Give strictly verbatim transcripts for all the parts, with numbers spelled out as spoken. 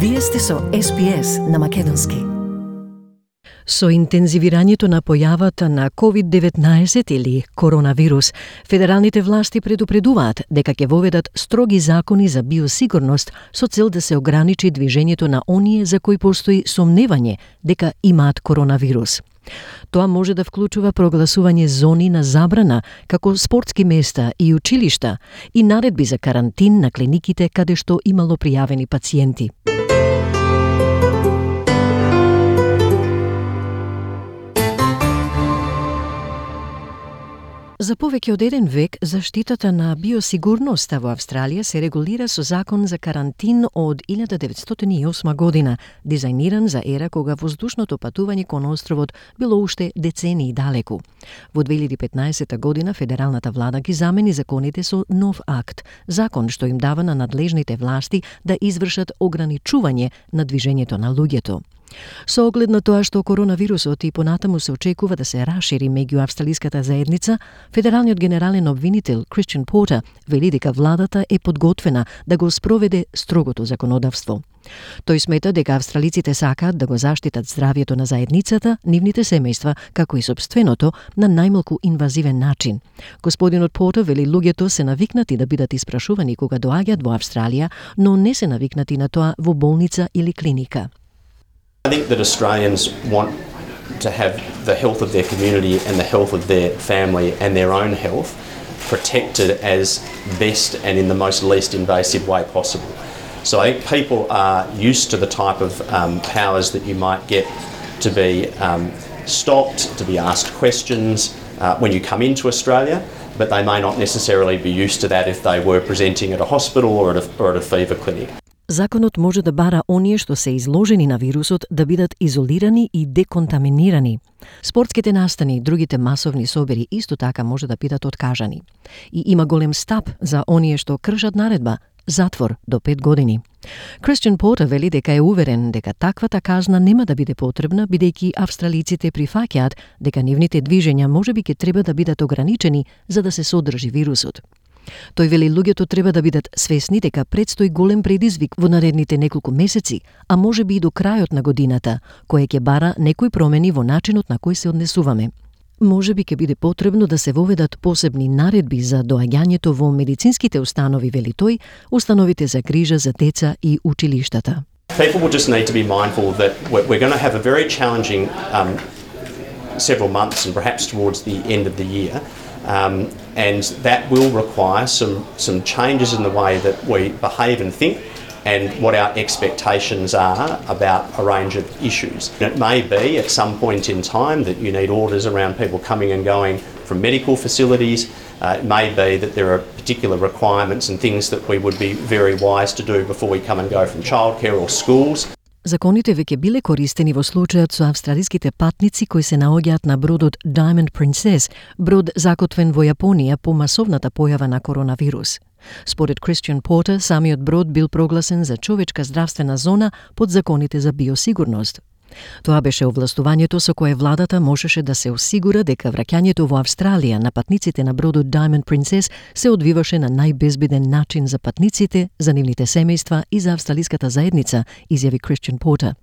Вие сте со Ес Би Ес на македонски. Со интензивирањето на појавата на ковид деветнаесет или коронавирус, федералните власти предупредуваат дека ќе воведат строги закони за биосигурност со цел да се ограничи движењето на оние за кои постои сомневање дека имаат коронавирус. Тоа може да вклучува прогласување зони на забрана, како спортски места и училишта, и наредби за карантин на клиниките каде што имало пријавени пациенти. За повеќе од еден век, заштитата на биосигурноста во Австралија се регулира со закон за карантин од илјада деветстотини и осма година, дизајниран за ера кога воздушното патување кон островот било уште децении далеку. Во две илјади и петнаесета година федералната влада ги замени законите со нов акт, закон што им дава на надлежните власти да извршат ограничување на движењето на луѓето. Со оглед на тоа што коронавирусот и понатаму се очекува да се расшири меѓу австралиската заедница, федералниот генерален обвинител Кристијан Портер вели дека владата е подготвена да го спроведе строгото законодавство. Тој смета дека австралиците сакаат да го заштитат здравјето на заедницата, нивните семејства, како и сопственото, на најмалку инвазивен начин. Господинот Портер вели луѓето се навикнати да бидат испрашувани кога доаѓаат во Австралија, но не се навикнати на тоа во болница или клиника. I think that Australians want to have the health of their community and the health of their family and their own health protected as best and in the most least invasive way possible. So I think people are used to the type of um, powers that you might get to be um, stopped, to be asked questions uh, when you come into Australia, but they may not necessarily be used to that if they were presenting at a hospital or at a, or at a fever clinic. Законот може да бара оние што се изложени на вирусот да бидат изолирани и деконтаминирани. Спортските настани и другите масовни собери исто така може да бидат откажани. И има голем стап за оние што кршат наредба – затвор до пет години. Кристијан Портер вели дека е уверен дека таквата казна нема да биде потребна, бидејќи австралиците прифаќаат дека нивните движења можеби ќе треба да бидат ограничени за да се содржи вирусот. Тој вели луѓето треба да бидат свесни дека предстои голем предизвик во наредните неколку месеци, а може би и до крајот на годината, кој ќе бара некои промени во начинот на кој се однесуваме. Може би ќе биде потребно да се воведат посебни наредби за доаѓањето во медицинските установи, вели тој, установите за грижа за деца и училиштата. People will just need to be mindful that we're going to have a very challenging um, several months and perhaps towards the end of the year. Um, and that will require some some changes in the way that we behave and think and what our expectations are about a range of issues. It may be at some point in time that you need orders around people coming and going from medical facilities. Uh, it may be that there are particular requirements and things that we would be very wise to do before we come and go from childcare or schools. Законите веќе биле користени во случајот со австралиските патници кои се наоѓаат на бродот Diamond Princess, брод закотвен во Јапонија по масовната појава на коронавирус. Според Кристијан Портер, самиот брод бил прогласен за човечка здравствена зона под законите за биосигурност. Тоа беше овластувањето со кое владата можеше да се осигура дека враќањето во Австралија на патниците на бродот Diamond Princess се одвиваше на најбезбеден начин за патниците, за нивните семејства и за австралиската заедница, изјави Кристијан Портер.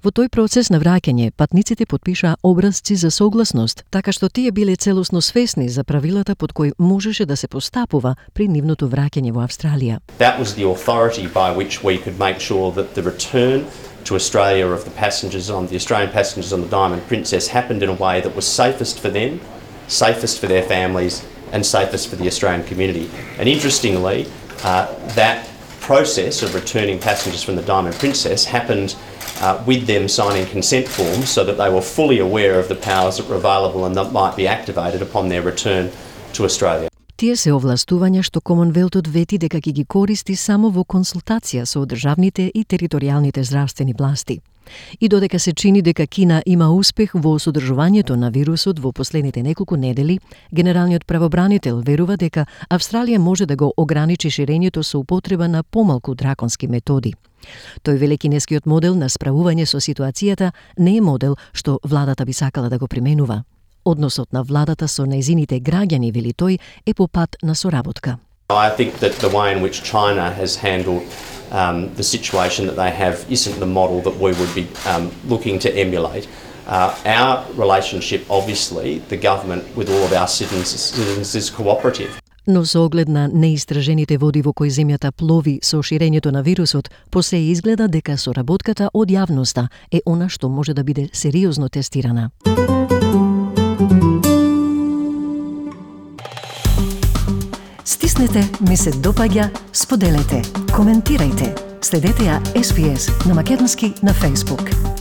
Во тој процес на враќање, патниците потпишаа образци за согласност, така што тие биле целосно свесни за правилата под кои можеше да се постапува при нивното враќање во Австралија. That was the authority by which we could make sure that the return to Australia of the passengers on the Australian passengers on the Diamond Princess happened in a way that was safest for them, safest for their families, and safest for the Australian community. And interestingly, uh, that process of returning passengers from the Diamond Princess happened uh, with them signing consent forms so that they were fully aware of the powers that were available and that might be activated upon their return to Australia. Тие се овластувања што Комонвелтот вети дека ќе ги користи само во консултација со државните и територијалните здравствени власти. И додека се чини дека Кина има успех во содржувањето на вирусот во последните неколку недели, генералниот правобранител верува дека Австралија може да го ограничи ширењето со употреба на помалку драконски методи. Тој вели кинескиот модел на справување со ситуацијата не е модел што владата би сакала да го применува. Односот на владата со нејзините граѓани, вели тој, е по пат на соработка. I think that the way in which China has handled um, the situation that they have isn't the model that we would be um, looking to emulate. Uh, our relationship, obviously, the government with all of our citizens, citizens is cooperative. Но со оглед на неистражените води во кои земјата плови со ширењето на вирусот, посе изгледа дека соработката од јавноста е она што може да биде сериозно тестирана. Стиснете, ми се допаѓа, споделете, коментирајте. Следете ја Ес Би Ес на македонски на Facebook.